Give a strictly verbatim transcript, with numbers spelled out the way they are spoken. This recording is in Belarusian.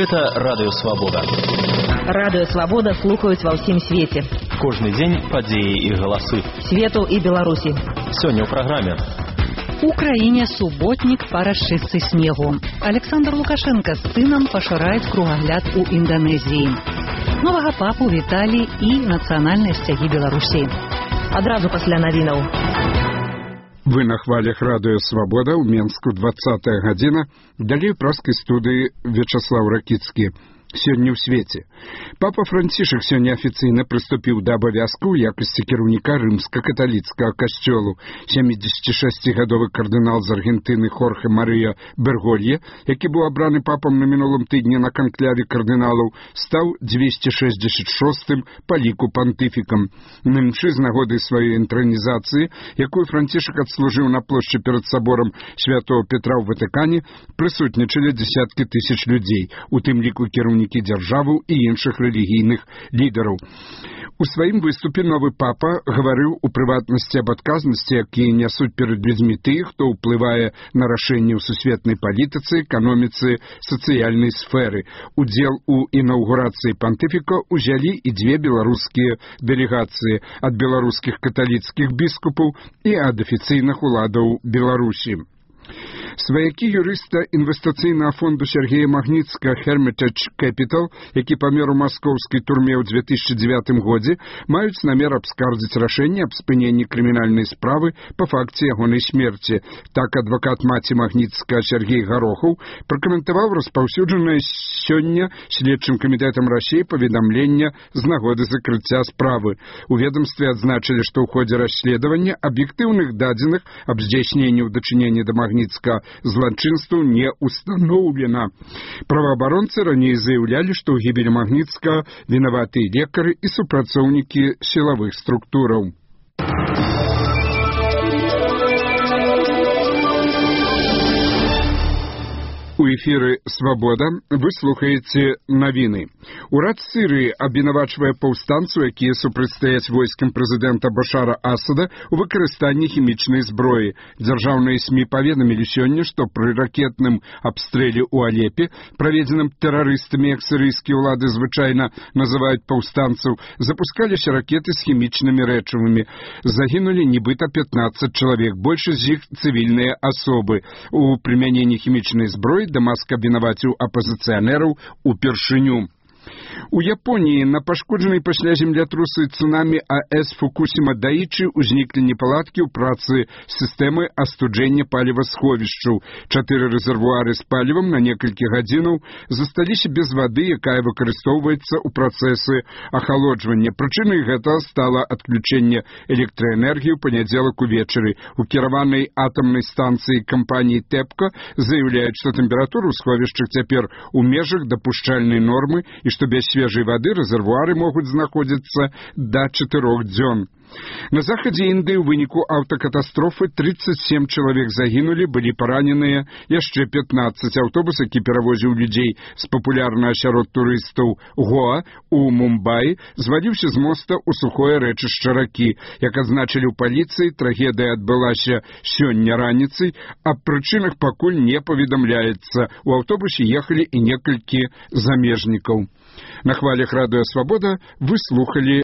Гэта Радыё Свабода. Радыё Свабода слухаюць ва ўсім свеце. Кожны дзень падзеі і галасы. Свету і Беларусі. Сёння ў праграме. У краіне суботнік па расчыстцы снегу. Александр Лукашенко з сынам пашыраюць кругагляд у Інданезіі. Новага папу віталі і нацыянальныя сцягі Беларусі. Адразу пасля навінаў. Вы на хвалях Радыё Свабода ў Менску двадцатая гадзіна. Далей праскай студыі Вячаслав Ракіцкі. Сёння ў свеце. Папа Францішак сёння афіцыйна прыступіў да абавязку ў якасці кіраўніка рымска-каталіцкага касцёлу. сямідзесятишасцігадовы кардынал з Аргентыны Хорхе Марыя Берголье, які быў абраны папам на мінулым тыдні на канкляве кардыналаў, стаў дзвесце шэсцьдзесят шостым па ліку пантыфікам. На імшы з нагоды сваёй інтранізацыі, якую Францішак адслужыў на плошчы перад саборам святого Петра ў Ватыкане, прысутнічалі дзесяткі тысяч людзей, у тым ліку кіраўнікі дзяржаваў і іншых рэлігійных лідараў. У сваім выступе новы папа гаварыў у прыватнасці аб адказнасці, якія нясуць перад людзьмі тых, хто ўплывае на рашэнні ў сусветнай палітыцы, эканоміцы, сацыяльнай сферы. Удзел у інаўгурацыі пантыфіка узялі і дзве беларускія дэлегацыі ад беларускіх каталіцкіх біскупаў і ад афіцыйных уладаў Беларусі. Сваякі юрыста інвестыцыйнага фонду Сергея Магніцка Hermitage Capital, які памер у маскоўскай турме ў две тысячы дзевятым годзе, маюць намер абскардзіць рашэнне аб спыненні крымінальнай справы па факце ягонай смерці. Так адвакат маці Магніцка Сергей Гарохаў пракаментаваў распаўсюджанае сёння следчым камітэтам Расіі паведамленне з нагоды закрыцця справы. У ведомстве адзначылі, што ў ходзе расследавання аб'ектыўных дадзеных аб здзяйсненні ў дачыненні да Магніцка злачынству не установлена. Праваабаронцы раней заяўлялі, што ў гібелі Магніцка вінаватыя лекары і супрацоўнікі сілавых структураў. У эфіры «Свабода» вы слухаеце навіны. Урад Сірыі абвінавачвае паўстанцаў, якія супрацьстаяць войскам прэзідэнта Башара Асада ў выкарыстанні хімічнай зброі. Дзяржаўныя СМІ паведамілі сёння, што пры ракетным абстрэле ў Алепе, праведзеным тэрарыстамі, як сірыйскія ўлады звычайна называюць паўстанцаў, запускаліся ракеты з хімічнымі рэчывамі. Загінулі нібыта пятнаццаць чалавек, большасць з іх цывільныя асобы. У прымяненні хімічнай зброі Дамаск абвінаваціў апазіцыянераў упершыню. У Японіі на пашкоджанай пасля землятрусы цунамі АЭС Фукусіма Даічы ўзніклі непаладкі ў працы сістэмы астуджэння палівасховішчаў. Чатыры рэзервуары з палівам на некалькі гадзінаў засталіся без вады, якая выкарыстоўваецца ў працэсы ахалоджвання. Прычынай гэтага стала адключэнне электраэнергіі ў панядзелак увечары. У кіраванай атамнай станцыі кампаніі ТЭПКО заяўляюць, што тэмпература ў сховішчах цяпер у межах дапушчальнай нормы і што без свежай вады рэзервуары могуць знаходзіцца да чатырох дзён. На захадзе Індыі ў выніку аўтакатастрофы тридцать семь чалавек загінулі, былі параненыя яшчэ пятнаццаць. Аўтобус, які перавозіў людзей з папулярнага сярод турыстаў Гоа у Мумбаі, зваліўся з моста ў сухое рэчышча ракі. Як адзначылі ў паліцыі, трагедыя адбылася сёння раніцай, аб прычынах пакуль не паведамляецца. У аўтобусе ехалі і некалькі замежнікаў. На хвалях Радыё Свабода вы слухалі